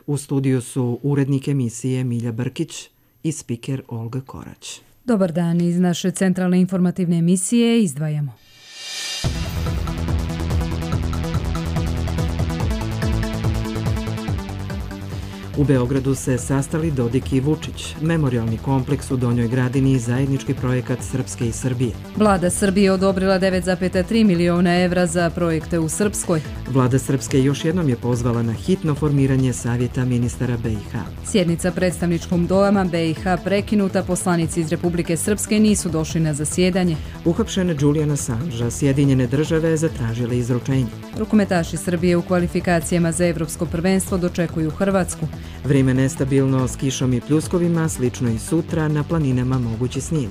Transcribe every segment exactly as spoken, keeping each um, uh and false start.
U studiju su urednik emisije Milja Brkić i spiker Olga Korać. Dobar dan, iz naše centralne informativne emisije izdvajamo. U Beogradu se sastali Dodik i Vučić, memorijalni kompleks u Donjoj Gradini i zajednički projekat Srpske i Srbije. Vlada Srbije odobrila devet zarez tri miliona evra za projekte u Srpskoj. Vlada Srpske još jednom je pozvala na hitno formiranje Savjeta ministara B i H. Sjednica predstavničkom doma B i H prekinuta, poslanici iz Republike Srpske nisu došli na zasjedanje. Uhapšen Julian Assange, Sjedinjene države zatražile izručenje. Rukometaši Srbije u kvalifikacijama za evropsko prvenstvo dočekuju Hrvatsku. Vrijeme nestabilno s kišom i pljuskovima, slično i sutra, na planinama mogući snijeg.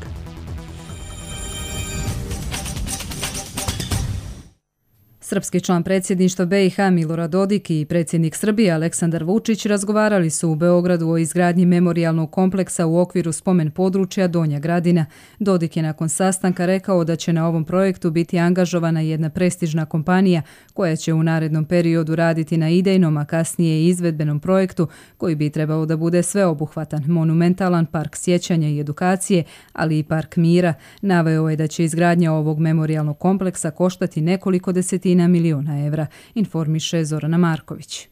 Srpski član predsjedništva B i H Milorad Dodik i predsjednik Srbije Aleksandar Vučić razgovarali su u Beogradu o izgradnji memorijalnog kompleksa u okviru spomen područja Donja Gradina. Dodik je nakon sastanka rekao da će na ovom projektu biti angažovana jedna prestižna kompanija koja će u narednom periodu raditi na idejnom, a kasnije i izvedbenom projektu koji bi trebao da bude sveobuhvatan, monumentalan park sjećanja i edukacije, ali i park mira. Naveo je da će izgradnja ovog memorijalnog kompleksa koštati nekoliko desetina miliona evra, informiše Zorana Marković.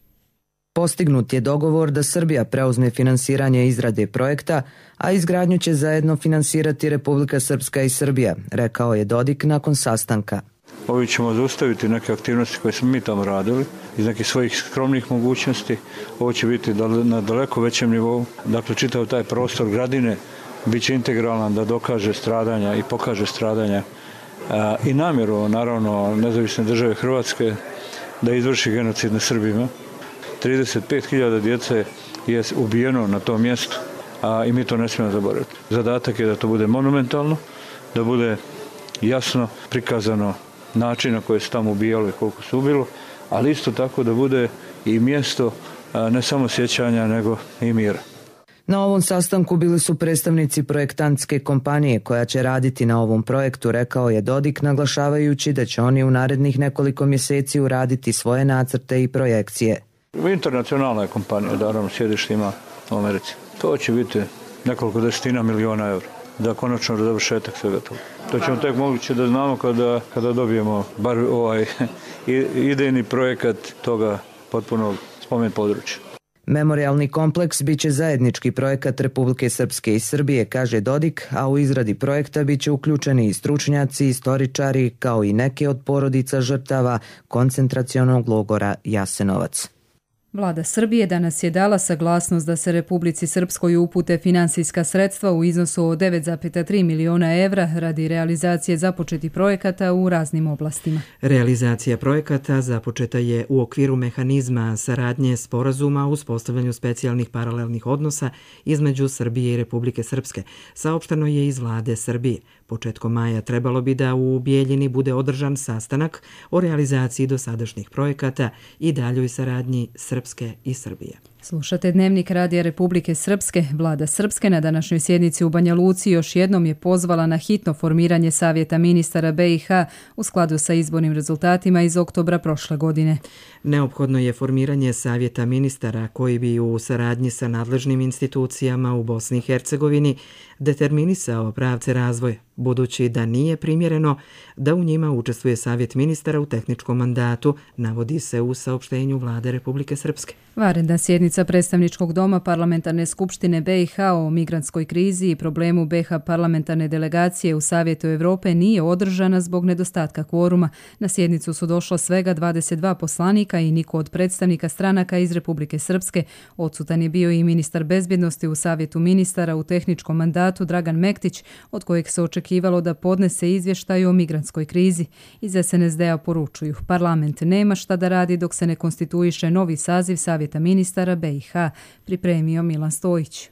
Postignut je dogovor da Srbija preuzme finansiranje izrade projekta, a izgradnju će zajedno finansirati Republika Srpska i Srbija, rekao je Dodik nakon sastanka. Ovi ćemo zaustaviti neke aktivnosti koje smo mi tamo radili iz nekih svojih skromnih mogućnosti. Ovo će biti na daleko većem nivou. Dakle, čitav taj prostor Gradine bit će integralan da dokaže stradanja i pokaže stradanja i namjeru, naravno, nezavisne države Hrvatske da izvrši genocid nad Srbima. trideset pet hiljada djece je ubijeno na tom mjestu, a i mi to ne smijemo zaboraviti. Zadatak je da to bude monumentalno, da bude jasno prikazano način na koji su tamo ubijali i koliko su ubilo, ali isto tako da bude i mjesto ne samo sjećanja, nego i mira. Na ovom sastanku bili su predstavnici projektantske kompanije koja će raditi na ovom projektu, rekao je Dodik, naglašavajući da će oni u narednih nekoliko mjeseci uraditi svoje nacrte i projekcije. Internacionalna je kompanija, naravno sjedište ima u Americi. To će biti nekoliko desetina miliona eura da konačno završetak svega toga. To ćemo tek moguće da znamo kada, kada dobijemo bar ovaj idejni projekat toga potpunog spomen područja. Memorijalni kompleks biće zajednički projekat Republike Srpske i Srbije, kaže Dodik, a u izradi projekta biće uključeni i stručnjaci, istoričari, kao i neke od porodica žrtava koncentracionog logora Jasenovac. Vlada Srbije danas je dala saglasnost da se Republici Srpskoj upute finansijska sredstva u iznosu od devet zarez tri miliona evra radi realizacije započetih projekata u raznim oblastima. Realizacija projekata započeta je u okviru mehanizma saradnje sporazuma o uspostavljanju specijalnih paralelnih odnosa između Srbije i Republike Srpske, saopšteno je iz Vlade Srbije. Početkom maja trebalo bi da u Bijeljini bude održan sastanak o realizaciji dosadašnjih projekata i daljoj saradnji Srpske i Srbije. Slušate Dnevnik Radija Republike Srpske. Vlada Srpske na današnjoj sjednici u Banja Luci još jednom je pozvala na hitno formiranje Savjeta ministara B i H u skladu sa izbornim rezultatima iz oktobra prošle godine. Neophodno je formiranje Savjeta ministara koji bi u saradnji sa nadležnim institucijama u Bosni i Hercegovini determinisao pravce razvoja, budući da nije primjereno da u njima učestvuje Savjet ministara u tehničkom mandatu, navodi se u saopštenju Vlade Republike Srpske. Vanredna sjednica predstavničkog doma Parlamentarne skupštine B i H o migrantskoj krizi i problemu B i H parlamentarne delegacije u Savjetu Evrope nije održana zbog nedostatka kvoruma. Na sjednicu su došlo svega dvadeset dva poslanika i niko od predstavnika stranaka iz Republike Srpske. Odsutan je bio i ministar bezbjednosti u Savjetu ministara u tehničkom mandatu Dragan Mektić, od kojeg se očekivalo da podnese izvještaj o migrantskoj krizi. Iz S N S D-a poručuju, parlament nema šta da radi dok se ne konstituiše novi saziv Savjeta ministara B i H, pripremio Milan Stojić.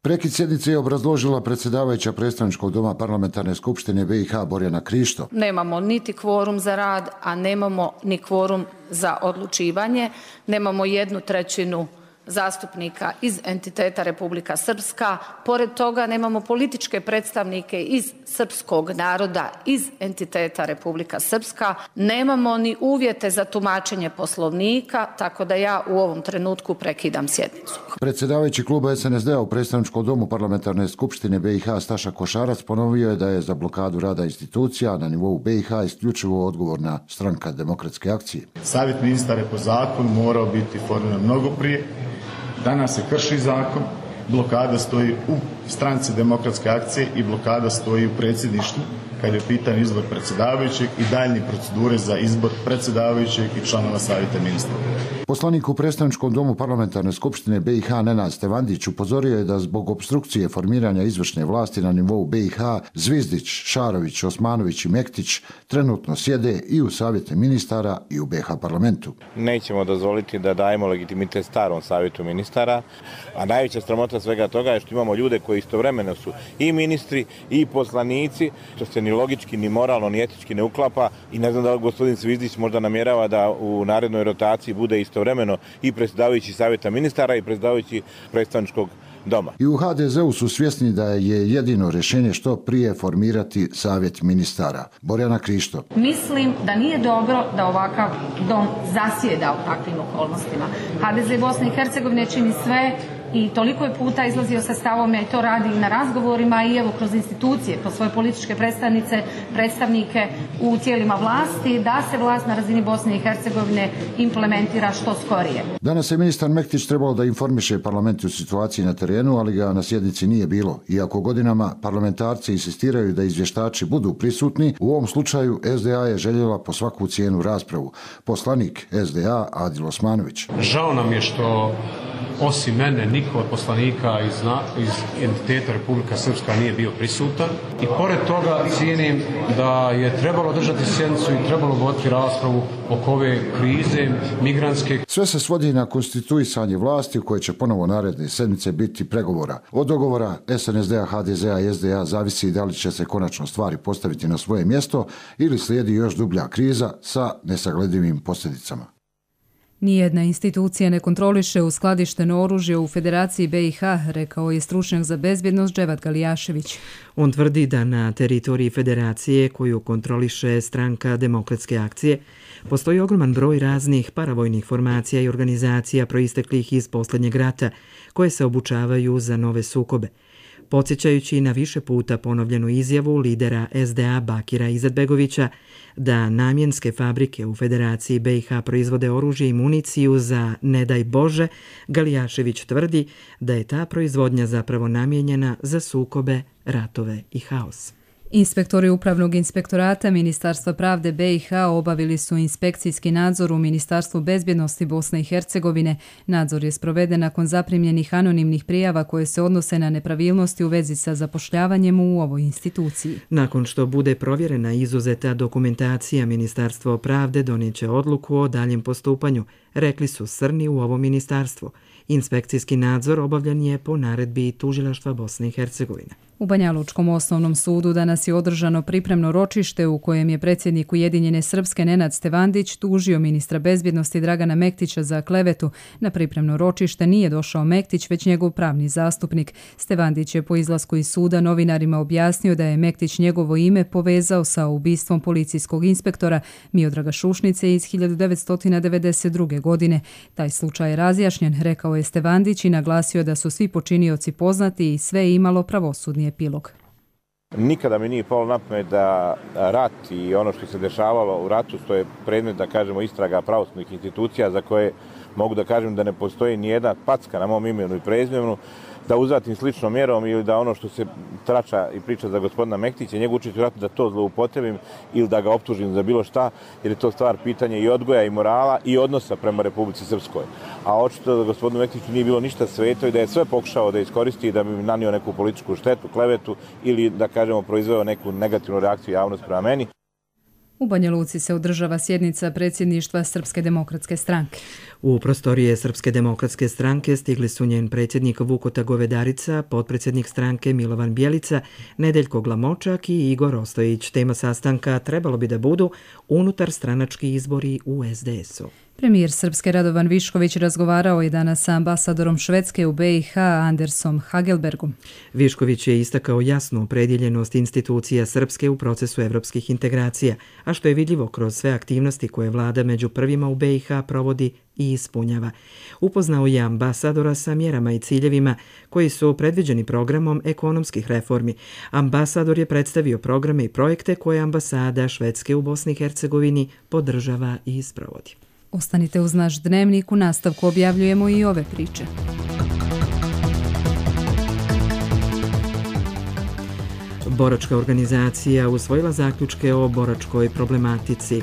Prekid sjednice je obrazložila predsjedavajuća predstavničkog doma Parlamentarne skupštine B i H Borjana Krišto. Nemamo niti kvorum za rad, a nemamo ni kvorum za odlučivanje. Nemamo jednu trećinu zastupnika iz entiteta Republika Srpska. Pored toga nemamo političke predstavnike iz srpskog naroda, iz entiteta Republika Srpska. Nemamo ni uvjete za tumačenje Poslovnika, tako da ja u ovom trenutku prekidam sjednicu. Predsjedavajući kluba es en es de a u predstavničkom domu Parlamentarne skupštine be i ha Staša Košarac ponovio je da je za blokadu rada institucija na nivou be i ha isključivo odgovorna Stranka demokratske akcije. Savjet ministara je po zakonu morao biti formiran mnogo prije. Danas se krši zakon, blokada stoji u Stranci demokratske akcije i blokada stoji u predsjedništvu kad je pitan izbor predsjedavajućeg i daljnje procedure za izbor predsjedavajućeg i članova savjeta ministara. Poslanik u predstavničkom domu Parlamentarne skupštine be i ha Nenad Stevandić upozorio je da zbog opstrukcije formiranja izvršne vlasti na nivou be i ha Zvizdić, Šarović, Osmanović i Mektić trenutno sjede i u savjete ministara i u be ha parlamentu. Nećemo dozvoliti da dajemo legitimitet starom savjetu ministara, a najveća sramota svega toga je što imamo ljude koji istovremeno su i ministri i poslanici, što se ni logički, ni moralno, ni etički ne uklapa i ne znam da gospodin Zvizdić možda namjerava da u narednoj rotaciji bude istovremeno i predsjedavajući savjeta ministara i predsjedavajući predstavničkog doma. I u ha de ze u su svjesni da je jedino rješenje što prije formirati savjet ministara. Borjana Krišto. Mislim da nije dobro da ovakav dom zasjeda u takvim okolnostima. ha de ze Bosne i Hercegovine čini sve i toliko je puta izlazio sa stavome i to radi i na razgovorima i evo kroz institucije, po svoje političke predstavnice, predstavnike u tijelima vlasti, da se vlast na razini Bosne i Hercegovine implementira što skorije. Danas je ministar Mektić trebalo da informiše parlament u situaciji na terenu, ali ga na sjednici nije bilo. Iako godinama parlamentarci insistiraju da izvještači budu prisutni, u ovom slučaju es de a je željela po svaku cijenu raspravu. Poslanik es de a Adil Osmanović. Žao nam je što osim mene niko od poslanika iz, iz entiteta Republika Srpska nije bio prisutan i pored toga cijenim da je trebalo držati sjednicu i trebalo voditi raspravu oko ove krize migrantske. Sve se svodi na konstituisanje vlasti u koje će ponovo naredne sedmice biti pregovora. Od dogovora es en es de a, ha de ze a i es de a zavisi da li će se konačno stvari postaviti na svoje mjesto ili slijedi još dublja kriza sa nesagledivim posljedicama. Nijedna institucija ne kontroliše uskladišteno oružje u Federaciji be i ha, rekao je stručnjak za bezbjednost Dževat Galijašević. On tvrdi da na teritoriji Federacije, koju kontroliše Stranka demokratske akcije, postoji ogroman broj raznih paravojnih formacija i organizacija proisteklih iz posljednjeg rata, koje se obučavaju za nove sukobe. Podsjećajući na više puta ponovljenu izjavu lidera es de a Bakira Izetbegovića da namjenske fabrike u Federaciji be i ha proizvode oružje i municiju za ne daj Bože, Galijašević tvrdi da je ta proizvodnja zapravo namijenjena za sukobe, ratove i haos. Inspektori Upravnog inspektorata Ministarstva pravde be i ha obavili su inspekcijski nadzor u Ministarstvu bezbjednosti Bosne i Hercegovine. Nadzor je sproveden nakon zaprimljenih anonimnih prijava koje se odnose na nepravilnosti u vezi sa zapošljavanjem u ovoj instituciji. Nakon što bude provjerena izuzeta dokumentacija, Ministarstvo pravde donijeće odluku o daljem postupanju, rekli su srni u ovom ministarstvu. Inspekcijski nadzor obavljan je po naredbi Tužilaštva Bosne i Hercegovine. U Banjalučkom osnovnom sudu danas je održano pripremno ročište u kojem je predsjednik Ujedinjene Srpske Nenad Stevandić tužio ministra bezbjednosti Dragana Mektića za klevetu. Na pripremno ročište nije došao Mektić, već njegov pravni zastupnik. Stevandić je po izlasku iz suda novinarima objasnio da je Mektić njegovo ime povezao sa ubistvom policijskog inspektora Miodraga Šušnice iz hiljadu devetsto devedeset druge. godine. Taj slučaj je razjašnjen, rekao je Stevandić i naglasio da su svi počinioci poznati i sve je imalo pravosudni epilog. Nikada mi nije palo na pamet da rat i ono što se dešavalo u ratu, što je predmet, da kažemo, istraga pravosudnih institucija za koje mogu da kažem da ne postoji ni jedna packa na mom imenu i prezimenu, da uzvratim sličnom mjerom ili da ono što se trača i priča za gospodina Mektića, njegov učitelj u ratu, da to zloupotrebim ili da ga optužim za bilo šta, jer je to stvar pitanje i odgoja i morala i odnosa prema Republici Srpskoj. A očito da gospodinu Mektiću nije bilo ništa sveto i da je sve pokušao da iskoristi i da bi nanio neku političku štetu, klevetu ili, da kažemo, proizveo neku negativnu reakciju javnosti prema meni. U Banja Luci se održava sjednica predsjedništva Srpske demokratske stranke. U prostorije Srpske demokratske stranke stigli su njen predsjednik Vukota Govedarica, potpredsjednik stranke Milovan Bjelica, Nedeljko Glamočak i Igor Ostojić. Tema sastanka trebalo bi da budu unutar stranački izbori u es de esu. Premijer Srpske Radovan Višković razgovarao je danas sa ambasadorom Švedske u be i ha Andersom Hagelbergom. Višković je istakao jasnu opredjeljenost institucija Srpske u procesu evropskih integracija, a što je vidljivo kroz sve aktivnosti koje vlada među prvima u be i ha provodi i ispunjava. Upoznao je ambasadora sa mjerama i ciljevima koji su predviđeni programom ekonomskih reformi. Ambasador je predstavio programe i projekte koje ambasada Švedske u Bosni i Hercegovini podržava i sprovodi. Ostanite uz naš dnevnik, u nastavku objavljujemo i ove priče. Boračka organizacija usvojila zaključke o boračkoj problematici.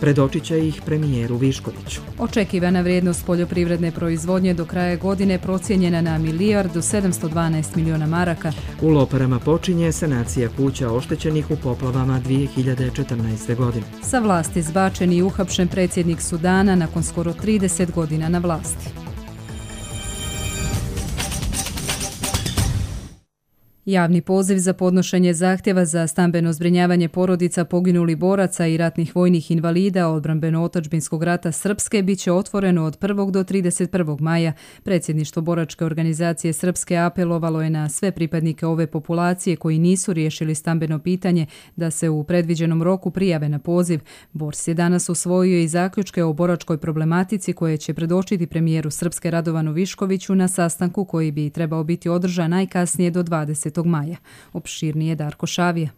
Predočit će ih premijeru Viškoviću. Očekivana vrijednost poljoprivredne proizvodnje do kraja godine procijenjena na milijardu sedamsto dvanaest miliona maraka. U Loparama počinje sanacija kuća oštećenih u poplavama dvije hiljade četrnaeste. godine. Sa vlasti zbačen i uhapšen predsjednik Sudana nakon skoro trideset godina na vlasti. Javni poziv za podnošenje zahtjeva za stambeno zbrinjavanje porodica poginulih boraca i ratnih vojnih invalida odbrambeno-otadžbinskog rata Srpske bit će otvoreno od prvog do trideset prvog maja. Predsjedništvo Boračke organizacije Srpske apelovalo je na sve pripadnike ove populacije koji nisu riješili stambeno pitanje da se u predviđenom roku prijave na poziv. Bors je danas usvojio i zaključke o boračkoj problematici koje će predočiti premijeru Srpske Radovanu Viškoviću na sastanku koji bi trebao biti održan najkasnije do dvadesetog maja. Opširnije Darko Šavija.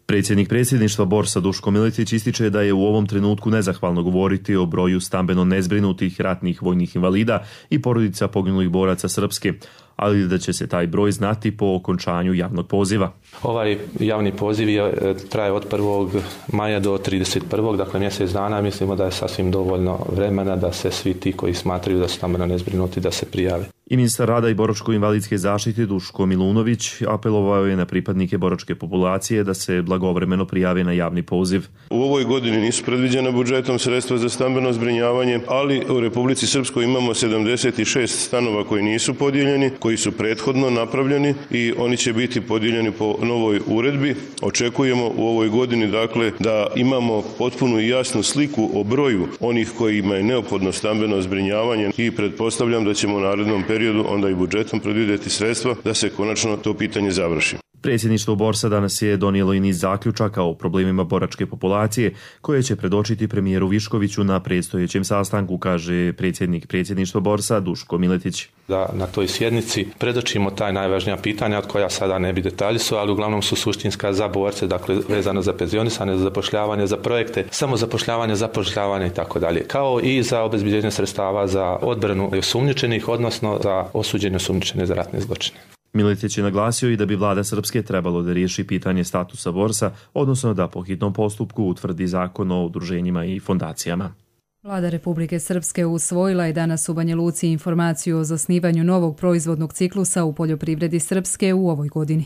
Predsjednik predsjedništva Borsa Duško Miletić ističe da je u ovom trenutku nezahvalno govoriti o broju stambeno nezbrinutih ratnih vojnih invalida i porodica poginulih boraca Srpske, ali da će se taj broj znati po okončanju javnog poziva. Ovaj javni poziv je, traje od prvog maja do trideset prvog dakle mjesec dana. Mislimo da je sasvim dovoljno vremena da se svi ti koji smatraju da su stambeno nezbrinuti da se prijave. I ministar rada i boračko-invalidske zaštite Duško Milunović apelovao je na pripadnike boračke populacije da se blagovremeno prijave na javni poziv. U ovoj godini nisu predviđena budžetom sredstva za stambeno zbrinjavanje, ali u Republici Srpskoj imamo sedamdeset šest stanova koji nisu podijeljeni, koji su prethodno napravljeni i oni će biti podijeljeni po novoj uredbi. Očekujemo u ovoj godini dakle da imamo potpunu i jasnu sliku o broju onih kojima je neophodno stambeno zbrinjavanje i pretpostavljam da ćemo u narednom periodu onda i budžetom predvidjeti sredstva da se konačno to pitanje završi. Predsjedništvo Borsa danas je donijelo i niz zaključaka o problemima boračke populacije koje će predočiti premijeru Viškoviću na predstojećem sastanku, kaže predsjednik predsjedništva Borsa Duško Miletić. Da na toj sjednici predočimo taj najvažnija pitanja od koja sada ne bi detalji su, ali uglavnom su suštinska za borce, dakle vezano za penzionisanje, za zapošljavanje, za projekte, samozapošljavanje, zapošljavanje i tako dalje, kao i za obezbeđenje sredstava za odbranu osumnjičenih, odnosno za osuđene osumnjičene za ratne zločine. Miletić je naglasio i da bi vlada Srpske trebalo da riješi pitanje statusa borsa, odnosno da po hitnom postupku utvrdi zakon o udruženjima i fondacijama. Vlada Republike Srpske usvojila je danas u Banja Luci informaciju o zasnivanju novog proizvodnog ciklusa u poljoprivredi Srpske u ovoj godini.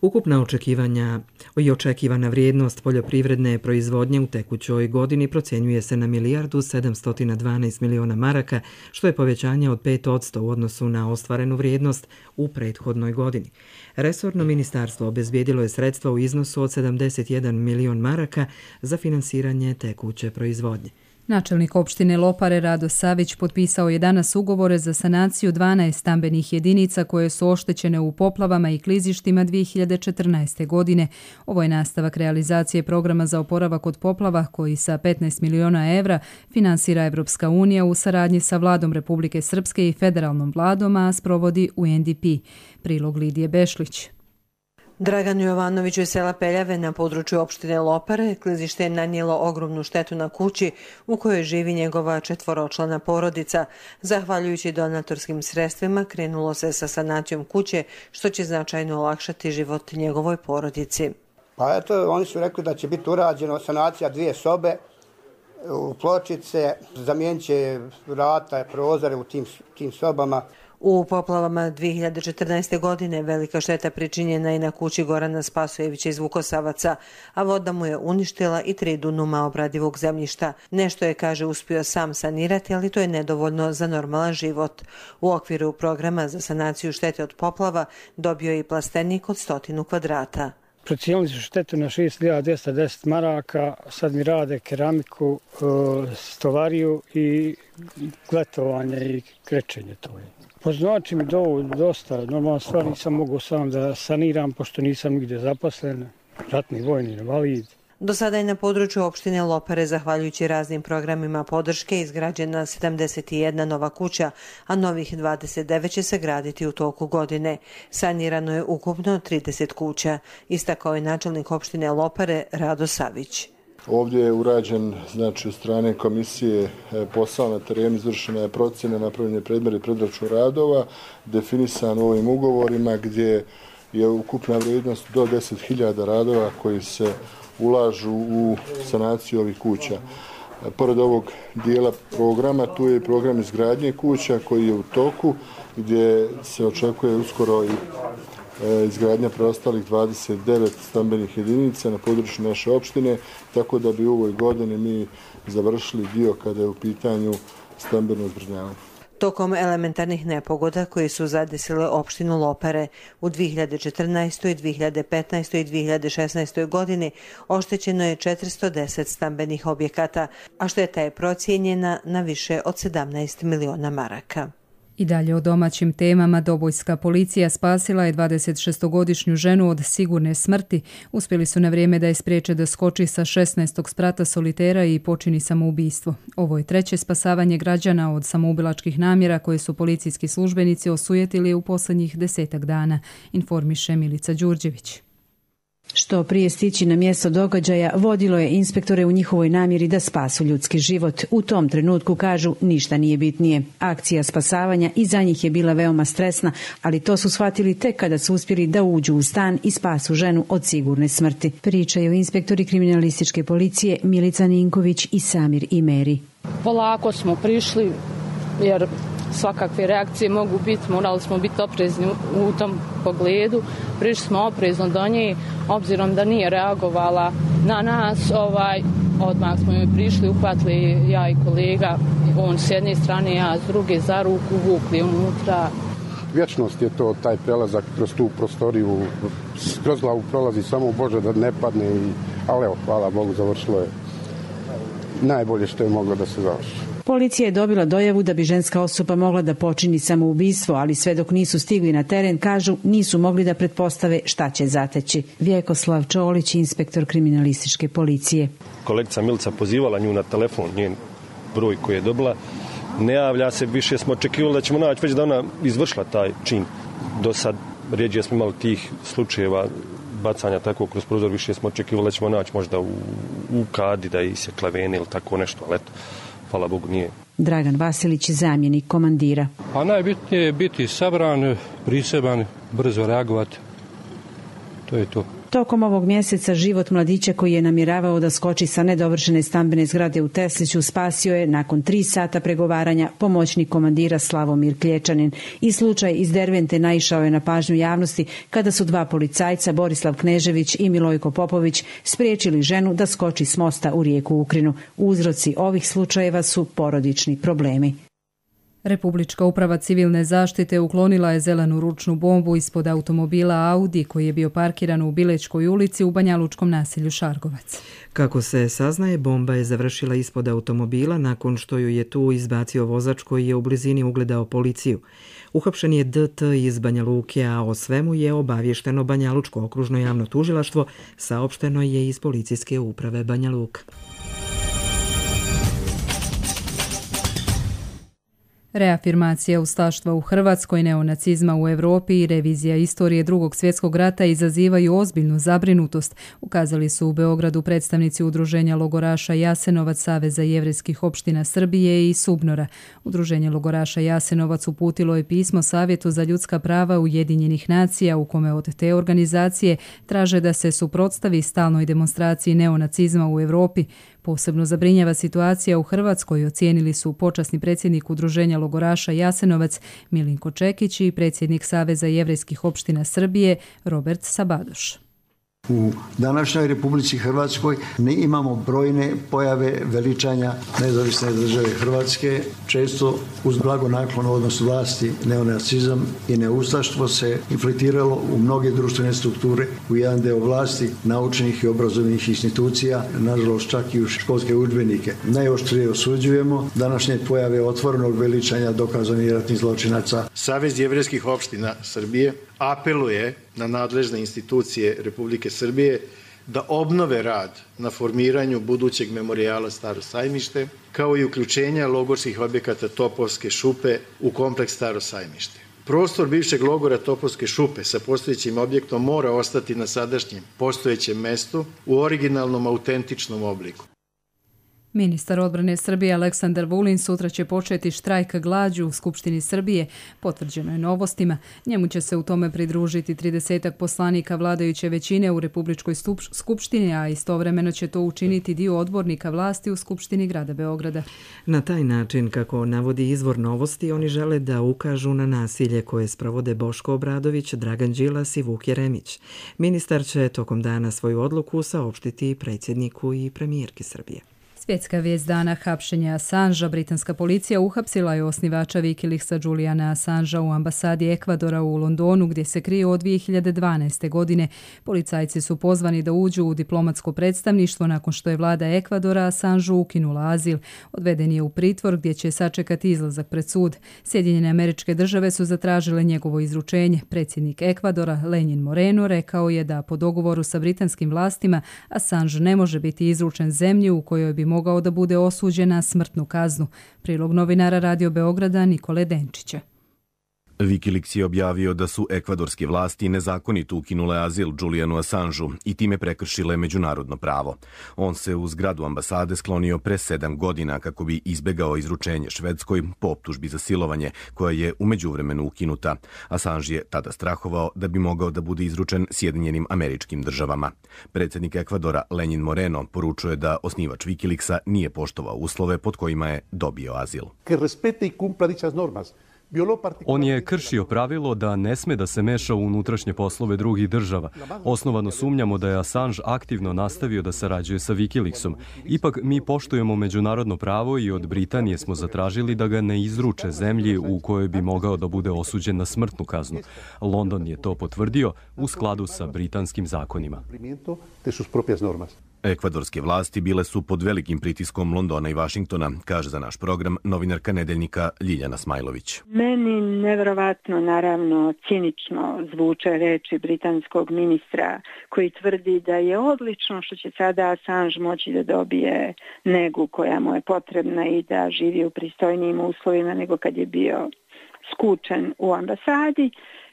Ukupna očekivanja i očekivana vrijednost poljoprivredne proizvodnje u tekućoj godini procjenjuje se na milijardu sedamsto dvanaest miliona maraka, što je povećanje od pet posto u odnosu na ostvarenu vrijednost u prethodnoj godini. Resorno ministarstvo obezbijedilo je sredstva u iznosu od sedamdeset jedan milion maraka za finansiranje tekuće proizvodnje. Načelnik opštine Lopare Rado Savić potpisao je danas ugovore za sanaciju dvanaest stambenih jedinica koje su oštećene u poplavama i klizištima dvije hiljade četrnaeste. godine. Ovo je nastavak realizacije programa za oporavak od poplava koji sa petnaest miliona evra finansira Evropska unija u saradnji sa vladom Republike Srpske i federalnom vladom, a sprovodi U N D P. Prilog Lidije Bešlić. Draganu Jovanoviću iz sela Peljave na području opštine Lopare klizište je nanijelo ogromnu štetu na kući u kojoj živi njegova četvoročlana porodica. Zahvaljujući donatorskim sredstvima krenulo se sa sanacijom kuće, što će značajno olakšati život njegovoj porodici. Pa eto, oni su rekli da će biti urađeno sanacija dvije sobe, u pločice, zamijenit će vrata, prozore u tim, tim sobama. U poplavama dvije hiljade četrnaeste. godine velika šteta pričinjena je na kući Gorana Spasojevića iz Vukosavaca, a voda mu je uništila i tri dunuma obradivog zemljišta. Nešto je, kaže, uspio sam sanirati, ali to je nedovoljno za normalan život. U okviru programa za sanaciju štete od poplava dobio je i plastenik od stotinu kvadrata. Procijenili su štetu na šest hiljada dvjesto deset maraka, sad mi rade keramiku, stolariju i gletovanje i krečenje to je. Poznači mi do, dosta, normalna stvar, nisam mogu sam da saniram, pošto nisam nigdje zaposlen, ratni vojni invalid. Do sada je na području opštine Lopare, zahvaljujući raznim programima podrške, izgrađena sedamdeset jedna nova kuća, a novih dvadeset devet će se graditi u toku godine. Sanirano je ukupno trideset kuća, istakao je načelnik opštine Lopare Rado Savić. Ovdje je urađen, znači, od strane komisije posao na terenu, izvršena je procjena, napravljen je predmjer predračun radova, definisan u ovim ugovorima gdje je ukupna vrijednost do deset hiljada radova koji se ulažu u sanaciju ovih kuća. Pored ovog dijela programa, tu je i program izgradnje kuća koji je u toku, gdje se očekuje uskoro i izgradnja preostalih dvadeset devet stambenih jedinica na području naše opštine, tako da bi u ovoj godini mi završili dio kada je u pitanju stambeno zbrinjavanje. Tokom elementarnih nepogoda koji su zadesile opštinu Lopare u dvije hiljade četrnaestoj. dvije hiljade petnaestoj. i dvije hiljade šesnaestoj. godini oštećeno je četiristo deset stambenih objekata, a šteta je procijenjena na više od sedamnaest miliona maraka. I dalje o domaćim temama. Dobojska policija spasila je dvadesetšestogodišnju ženu od sigurne smrti. Uspjeli su na vrijeme da je spriječe da skoči sa šesnaestog sprata solitera i počini samoubistvo. Ovo je treće spasavanje građana od samoubilačkih namjera koje su policijski službenici osujetili u posljednjih desetak dana, informiše Milica Đurđević. Što prije stići na mjesto događaja vodilo je inspektore u njihovoj namjeri da spasu ljudski život. U tom trenutku, kažu, ništa nije bitnije. Akcija spasavanja i za njih je bila veoma stresna, ali to su shvatili tek kada su uspjeli da uđu u stan i spasu ženu od sigurne smrti. Pričaju inspektori kriminalističke policije Milica Ninković i Samir Imeri. Polako smo prišli jer svakakve reakcije mogu biti, morali smo biti oprezni u tom pogledu. Prišli smo oprezno do nje, obzirom da nije reagovala na nas, ovaj, odmah smo joj prišli, uhvatili ja i kolega, on s jedne strane, ja s druge, za ruku, vukli unutra. Vječnost je to, taj prelazak kroz tu prostoriju, kroz glavu prolazi samo Bože da ne padne, i, ali evo, hvala Bogu, završilo je najbolje što je moglo da se završi. Policija je dobila dojavu da bi ženska osoba mogla da počini samoubistvo, ali sve dok nisu stigli na teren, kažu, nisu mogli da pretpostave šta će zateći. Vjekoslav Čolić, inspektor kriminalističke policije. Kolegica Milica pozivala nju na telefon, njen broj koji je dobila, ne javlja se, više smo očekivali da ćemo naći već da ona izvršila taj čin. Do sad rijeđe smo imali tih slučajeva bacanja tako kroz prozor, više smo očekivali da ćemo naći možda u, u kadi da isjekla vene ili tako nešto, ali eto, hvala Bogu nije. Dragan Vasilić, zamjenik komandira. A najbitnije je biti sabran, priseban, brzo reagovati. To je to. Tokom ovog mjeseca život mladića koji je namjeravao da skoči sa nedovršene stambene zgrade u Tesliću spasio je nakon tri sata pregovaranja pomoćnik komandira Slavomir Klječanin. I slučaj iz Dervente naišao je na pažnju javnosti kada su dva policajca, Borislav Knežević i Milojko Popović, spriječili ženu da skoči s mosta u rijeku Ukrinu. Uzroci ovih slučajeva su porodični problemi. Republička uprava civilne zaštite uklonila je zelenu ručnu bombu ispod automobila Audi koji je bio parkiran u Bilečkoj ulici u banjalučkom naselju Šargovac. Kako se saznaje, bomba je završila ispod automobila nakon što ju je tu izbacio vozač koji je u blizini ugledao policiju. Uhapšen je D T iz Banja Luke, a o svemu je obavješteno Banjalučko okružno javno tužilaštvo, saopšteno je iz policijske uprave Banja Luka. Reafirmacija ustaštva u Hrvatskoj, neonacizma u Europi i revizija istorije Drugog svjetskog rata izazivaju ozbiljnu zabrinutost, ukazali su u Beogradu predstavnici Udruženja logoraša Jasenovac, Saveza jevrejskih opština Srbije i Subnora. Udruženje logoraša Jasenovac uputilo je pismo Savjetu za ljudska prava Ujedinjenih nacija u kome od te organizacije traže da se suprotstavi stalnoj demonstraciji neonacizma u Europi. Posebno zabrinjava situacija u Hrvatskoj, ocijenili su počasni predsjednik Udruženja logoranja logoraša Jasenovac Milinko Čekić i predsjednik Saveza jevrejskih opština Srbije Robert Sabadoš. U današnjoj Republici Hrvatskoj ne imamo brojne pojave veličanja nezavisne države Hrvatske. Često uz blagonaklon odnos vlasti neonacizam i neustaštvo se infiltriralo u mnoge društvene strukture, u jedan deo vlasti, naučnih i obrazovnih institucija, nažalost čak i u školske udžbenike. Najoštrije osuđujemo današnje pojave otvorenog veličanja dokazanih ratnih zločinaca. Savez jevrejskih opština Srbije apeluje na nadležne institucije Republike Srbije da obnove rad na formiranju budućeg memorijala Staro Sajmište, kao i uključenja logorskih objekata Topovske šupe u kompleks Staro Sajmište. Prostor bivšeg logora Topovske šupe sa postojećim objektom mora ostati na sadašnjem postojećem mestu u originalnom autentičnom obliku. Ministar odbrane Srbije Aleksandar Vulin sutra će početi štrajk glađu u Skupštini Srbije, potvrđeno je Novostima. Njemu će se u tome pridružiti tridesetak poslanika vladajuće većine u Republičkoj skupštini, a istovremeno će to učiniti dio odbornika vlasti u Skupštini grada Beograda. Na taj način, kako navodi izvor Novosti, oni žele da ukažu na nasilje koje sprovode Boško Obradović, Dragan Đilas i Vuk Jeremić. Ministar će tokom dana svoju odluku saopštiti predsjedniku i premijerki Srbije. Svjetska vijest dana, hapšenja Assangea. Britanska policija uhapsila je osnivača Wikileaksa Juliana Assangea u ambasadi Ekvadora u Londonu, gdje se krije od dvije hiljade dvanaeste. godine. Policajci su pozvani da uđu u diplomatsko predstavništvo nakon što je vlada Ekvadora Assangeu ukinula azil. Odveden je u pritvor gdje će sačekati izlazak pred sud. Sjedinjene Američke Države su zatražile njegovo izručenje. Predsjednik Ekvadora Lenin Moreno rekao je da po dogovoru sa britanskim vlastima Assange ne može biti izručen zemlji u kojoj bi mogao da bude osuđen na smrtnu kaznu. Prilog novinara Radio Beograda Nikole Denčića. Wikileaks je objavio da su ekvadorske vlasti nezakonito ukinule azil Julianu Assangeu i time prekršile međunarodno pravo. On se u zgradu ambasade sklonio pre sedam godina kako bi izbegao izručenje Švedskoj po optužbi za silovanje, koja je u međuvremenu ukinuta. Assange je tada strahovao da bi mogao da bude izručen Sjedinjenim Američkim Državama. Predsjednik Ekvadora Lenin Moreno poručuje da osnivač Wikileaksa nije poštovao uslove pod kojima je dobio azil. On je kršio pravilo da ne sme da se meša u unutrašnje poslove drugih država. Osnovano sumnjamo da je Assange aktivno nastavio da sarađuje sa Wikileaksom. Ipak mi poštujemo međunarodno pravo i od Britanije smo zatražili da ga ne izruče zemlji u kojoj bi mogao da bude osuđen na smrtnu kaznu. London je to potvrdio u skladu sa britanskim zakonima. Ekvadorske vlasti bile su pod velikim pritiskom Londona i Vašingtona, kaže za naš program novinarka Nedeljnika Ljiljana Smajlović. Meni nevjerovatno, naravno, cinično zvuče reči britanskog ministra koji tvrdi da je odlično što će sada Assange moći da dobije negu koja mu je potrebna i da živi u pristojnijim uslovima nego kad je bio skučen u ambasadi.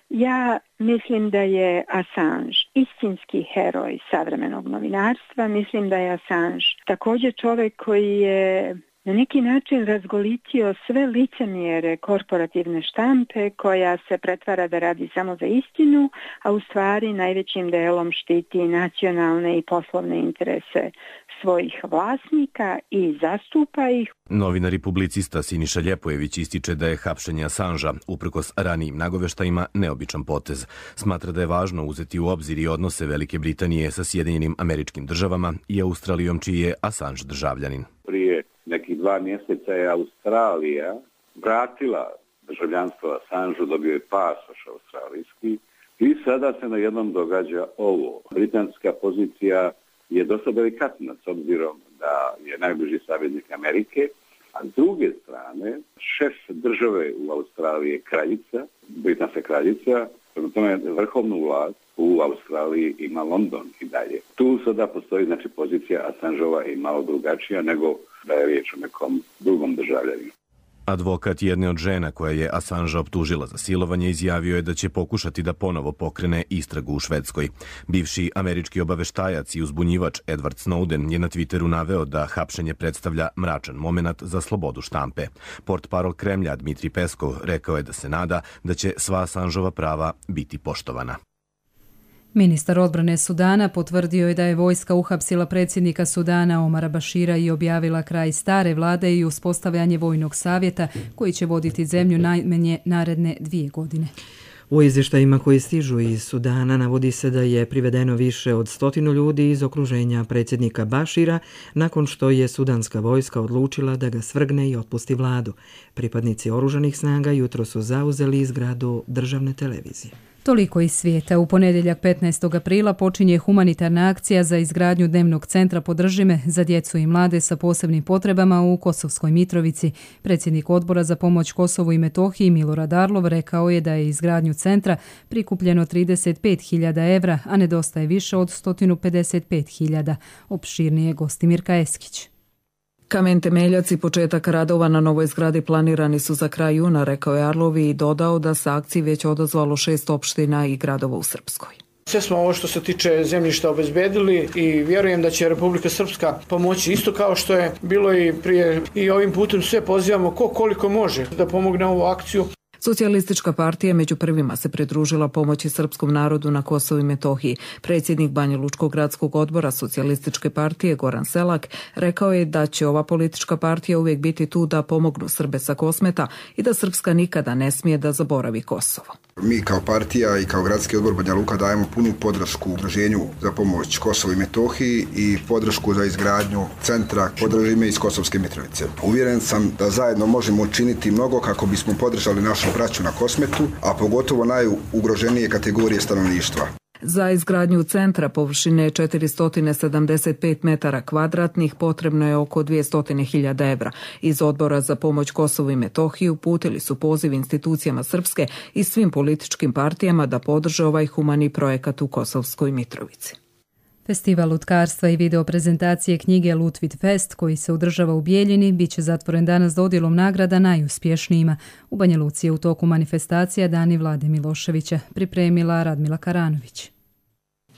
Ja mislim da je Assange istinski heroj savremenog novinarstva. Mislim da je Assange također čovjek koji je na neki način razgolitio sve licemjere korporativne štampe koja se pretvara da radi samo za istinu, a u stvari najvećim delom štiti nacionalne i poslovne interese svojih vlasnika i zastupa ih. Novinar i publicista Siniša Ljepojević ističe da je hapšenje Assangea, uprkos ranijim nagoveštajima, neobičan potez. Smatra da je važno uzeti u obzir i odnose Velike Britanije sa Sjedinjenim Američkim Državama i Australijom, čiji je Assange državljanin. Prije nekih dva mjeseca je Australija vratila državljanstvo Assangeu, dobio je pasoš australijski i sada se na jednom događa ovo. Britanska pozicija je dosta delikatna s obzirom da je najbliži saveznik Amerike, a s druge strane šef države u Australiji je kraljica, britanska kraljica, prema tome vrhovnu vlast u Australiji ima London i dalje. Tu sada postoji znači pozicija Assangeova i malo drugačija nego da je riječ o nekom drugom državljaninu. Advokat jedne od žena koja je Assangea optužila za silovanje izjavio je da će pokušati da ponovo pokrene istragu u Švedskoj. Bivši američki obaveštajac i uzbunjivač Edward Snowden je na Twitteru naveo da hapšenje predstavlja mračan momenat za slobodu štampe. Portparol Kremlja Dmitri Peskov rekao je da se nada da će sva Assangeova prava biti poštovana. Ministar odbrane Sudana potvrdio je da je vojska uhapsila predsjednika Sudana Omara Bašira i objavila kraj stare vlade i uspostavljanje vojnog savjeta koji će voditi zemlju najmanje naredne dvije godine. U izvještajima koji stižu iz Sudana navodi se da je privedeno više od stotinu ljudi iz okruženja predsjednika Bašira nakon što je sudanska vojska odlučila da ga svrgne i otpusti vladu. Pripadnici oružanih snaga jutro su zauzeli zgradu državne televizije. Toliko iz svijeta. U ponedjeljak petnaestog aprila počinje humanitarna akcija za izgradnju dnevnog centra Podržime za djecu i mlade sa posebnim potrebama u Kosovskoj Mitrovici. Predsjednik odbora za pomoć Kosovu i Metohiji Milorad Arlov rekao je da je izgradnju centra prikupljeno trideset pet hiljada evra, a nedostaje više od sto pedeset pet hiljada. Opširnije Gostimirka Eskić. Kamen temeljac i početak radova na novoj zgradi planirani su za kraj juna, rekao je Arlovi i dodao da se akciji već odazvalo šest opština i gradova u Srpskoj. Sve smo ovo što se tiče zemljišta obezbedili i vjerujem da će Republika Srpska pomoći isto kao što je bilo i prije, i ovim putem sve pozivamo ko koliko može da pomogne ovu akciju. Socijalistička partija među prvima se pridružila pomoći srpskom narodu na Kosovu i Metohiji. Predsjednik Banjalučkog gradskog odbora Socijalističke partije Goran Selak rekao je da će ova politička partija uvijek biti tu da pomognu Srbe sa Kosmeta i da Srpska nikada ne smije da zaboravi Kosovo. Mi kao partija i kao gradski odbor Banja Luka dajemo punu podršku udruženju za pomoć Kosovu i Metohiji i podršku za izgradnju centra Podržime iz Kosovske Mitrovice. Uvjeren sam da zajedno možemo učiniti mnogo kako bismo podržali našu braću na Kosmetu, a pogotovo najugroženije kategorije stanovništva. Za izgradnju centra površine četiristo sedamdeset pet metara kvadratnih potrebno je oko dvjesto hiljada evra. Iz odbora za pomoć Kosovu i Metohiji uputili su poziv institucijama Srpske i svim političkim partijama da podrže ovaj humani projekat u Kosovskoj Mitrovici. Festival lutkarstva i video prezentacije knjige Lutvid Fest, koji se održava u Bijeljini, bit će zatvoren danas dodjelom nagrada najuspješnijima. U Banja Luci je u toku manifestacija Dani Vlade Miloševića, pripremila Radmila Karanović.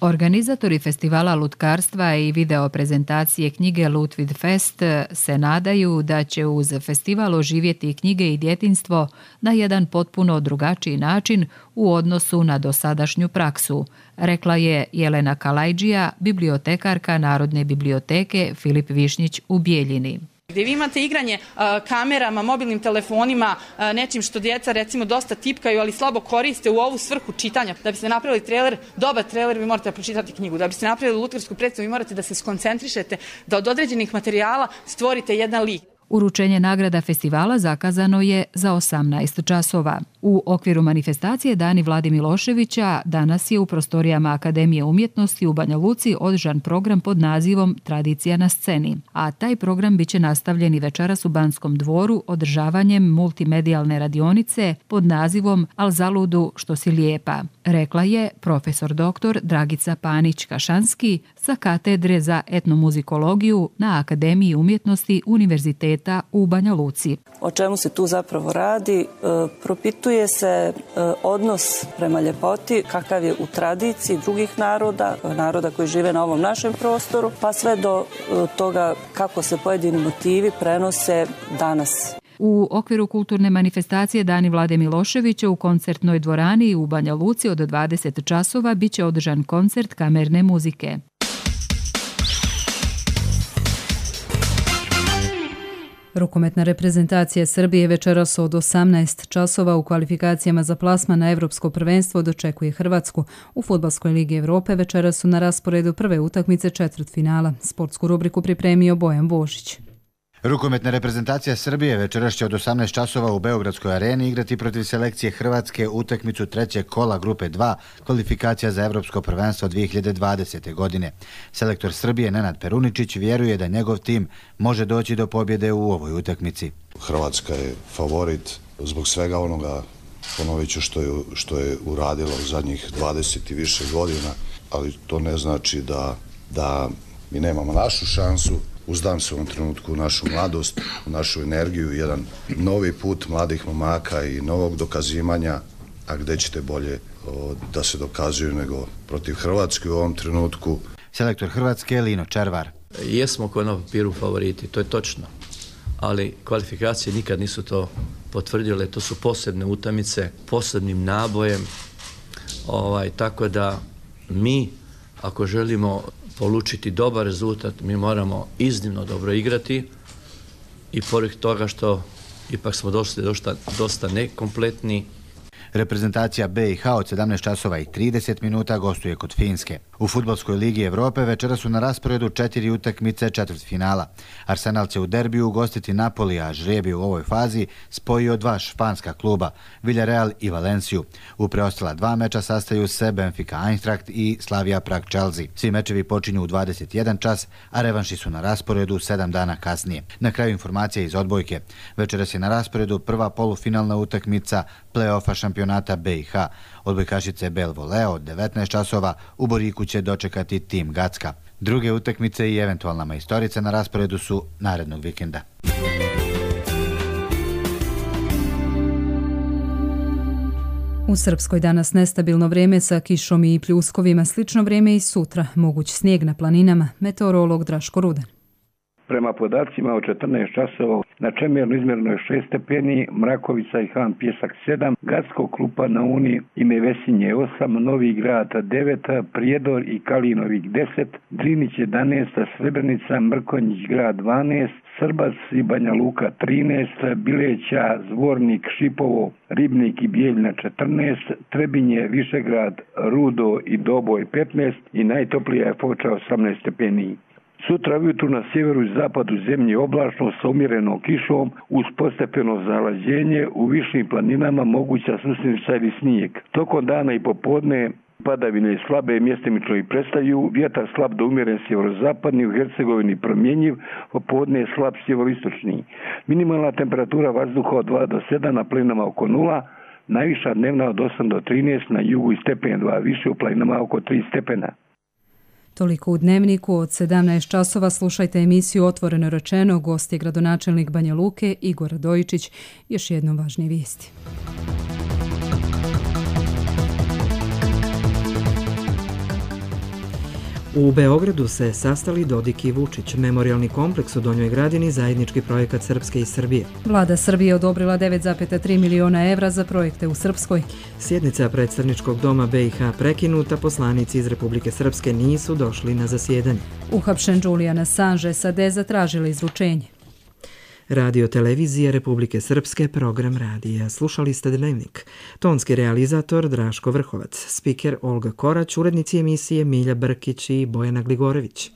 Organizatori festivala lutkarstva i video prezentacije knjige Lutvid Fest se nadaju da će uz festival oživjeti knjige i djetinjstvo na jedan potpuno drugačiji način u odnosu na dosadašnju praksu, rekla je Jelena Kalajđija, bibliotekarka Narodne biblioteke Filip Višnjić u Bijeljini. Gdje vi imate igranje a, kamerama, mobilnim telefonima, a, nečim što djeca recimo dosta tipkaju, ali slabo koriste u ovu svrhu čitanja. Da biste napravili trailer, dobar trailer, vi morate pročitati knjigu. Da biste napravili lutkarsku predstavu, vi morate da se skoncentrišete, da od određenih materijala stvorite jedan lik. Uručenje nagrada festivala zakazano je za osamnaest časova. U okviru manifestacije Dani Vlade Miloševića danas je u prostorijama Akademije umjetnosti u Banja Luci održan program pod nazivom Tradicija na sceni, a taj program biće nastavljen i večeras u Banskom dvoru održavanjem multimedijalne radionice pod nazivom Al zaludu što si lijepa, rekla je profesor doktor Dragica Panić-Kašanski sa katedre za etnomuzikologiju na Akademiji umjetnosti Univerziteta u Banja Luci. O čemu se tu zapravo radi? E, propituje se e, odnos prema ljepoti, kakav je u tradiciji drugih naroda, naroda koji žive na ovom našem prostoru, pa sve do e, toga kako se pojedini motivi prenose danas. U okviru kulturne manifestacije Dani Vlade Miloševića u koncertnoj dvorani u Banja Luci od dvadeset časova biće održan koncert kamerne muzike. Rukometna reprezentacija Srbije večeras od osamnaest časova u kvalifikacijama za plasman na Evropsko prvenstvo dočekuje Hrvatsku. U Fudbalskoj ligi Evrope večeras su na rasporedu prve utakmice četvrtfinala. Sportsku rubriku pripremio Bojan Božić. Rukometna reprezentacija Srbije večeras će od osamnaest časova u Beogradskoj areni igrati protiv selekcije Hrvatske utakmicu trećeg kola grupe dva kvalifikacija za Evropsko prvenstvo dvije hiljade dvadesete. godine. Selektor Srbije Nenad Peruničić vjeruje da njegov tim može doći do pobjede u ovoj utakmici. Hrvatska je favorit zbog svega onoga, ponovit ću, što je, što je uradila u zadnjih dvadeset i više godina, ali to ne znači da, da mi nemamo našu šansu. Uzdam se u ovom trenutku u našu mladost, u našu energiju, jedan novi put mladih momaka i novog dokazivanja, a gdje ćete bolje o, da se dokazuju nego protiv Hrvatske u ovom trenutku. Selektor Hrvatske Lino Červar. Jesmo koji na papiru favoriti, to je točno, ali kvalifikacije nikad nisu to potvrdile, to su posebne utakmice, posebnim nabojem, ovaj, tako da mi, ako želimo polučiti dobar rezultat, mi moramo iznimno dobro igrati i pored toga što ipak smo došli dosta, dosta nekompletni. Reprezentacija B i H od sedamnaest časova i trideset minuta gostuje kod Finske. U Fudbalskoj ligi Evrope večera su na rasporedu četiri utakmice četvrtfinala. Arsenal će u derbiju ugostiti Napoli, a žreb je u ovoj fazi spojio dva španska kluba, Villarreal i Valenciju. U preostala dva meča sastaju se Benfica Eintracht i Slavia Prag Chelsea. Svi mečevi počinju u dvadeset jedan čas, a revanši su na rasporedu sedam dana kasnije. Na kraju informacija iz odbojke. Večeras je na rasporedu prva polufinalna utakmica play-offa šampionata B i H. Odbojkašice Bel Voleo od devetnaest časova u Boriku će dočekati tim Gacka. Druge utakmice i eventualna majstorica na rasporedu su narednog vikenda. U Srpskoj danas nestabilno vrijeme sa kišom i pljuskovima, slično vrijeme i sutra, moguć snijeg na planinama, meteorolog Draško Rudan. Prema podacima od četrnaest časova na Čemernu izmjereno je šest stepeni, Mrakovica i Han Pjesak sedam, Gacko, Krupa na Uni i Mevesinje osam, Novi Grad devet, Prijedor i Kalinovik deset, Drinić jedanaest, Srebrenica, Mrkonjić grad dvanaest, Srbac i Banja Luka trinaest, Bileća, Zvornik, Šipovo, Ribnik i Bijeljna četrnaest, Trebinje, Višegrad, Rudo i Doboj petnaest i najtoplija je Foča osamnaest stepeni. Sutra ujutru na sjeveru i zapadu zemlje oblačno sa umjerenom kišom uz postepeno zalađenje, u višim planinama moguća susjednica ili snijeg. Tokom dana i popodne padavine slabe mjestimično i prestaju, vjetar slab do umjeren sjeverozapadni, u Hercegovini promjenjiv, popodne je slab sjeveristočni. Minimalna temperatura vazduha od dva do sedam, na planinama oko nula, najviša dnevna od osam do trinaest, na jugu i stepen dva više, u planinama oko tri stepena. Toliko u Dnevniku. Od sedamnaest časova slušajte emisiju Otvoreno rečeno. Gost je gradonačelnik Banja Luke Igor Radojičić. Još jednom važnije vijesti. U Beogradu se sastali Dodik i Vučić. Memorijalni kompleks u Donjoj Gradini, zajednički projekat Srpske i Srbije. Vlada Srbije odobrila devet zarez tri miliona evra za projekte u Srpskoj. Sjednica predstavničkog doma B i H prekinuta, poslanici iz Republike Srpske nisu došli na zasjedanje. Uhapšen Julian Assange, S A D zatražili izručenje. Radio televizije Republike Srpske, program radija. Slušali ste Dnevnik. Tonski realizator Draško Vrhovac, spiker Olga Korać, urednici emisije Milja Brkić i Bojana Gligorević.